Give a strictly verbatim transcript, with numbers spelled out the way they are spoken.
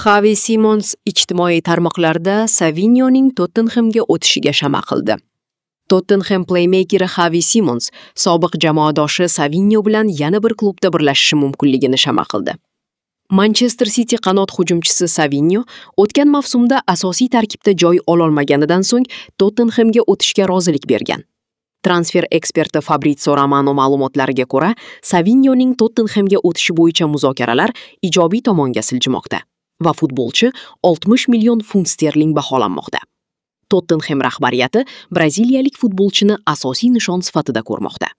Xavi Simons ijtimoiy tarmoqlarda Savinyoning Tottenhemga o'tishiga shama qildi. Tottenhem playmakeri Xavi Simons sobiq jamoadoshi Savinyo bilan yana bir klubda birlashishi mumkinligini shama qildi. Manchester City qanot hujumchisi Savinyo o'tgan mavsumda asosiy tarkibda joy ololmaganidan so'ng Tottenhemga o'tishga rozilik bergan. Transfer eksperti Fabrizio Romano ma'lumotlariga ko'ra, Savinyoning Tottenhemga o'tishi bo'yicha muzokaralar ijobiy tomonga siljimoqda va futbolchi oltmish million funt sterling baholanmoqda. Tottenhem rahbariyati braziliyalik futbolchini asosiy nishon sifatida ko'rmoqda.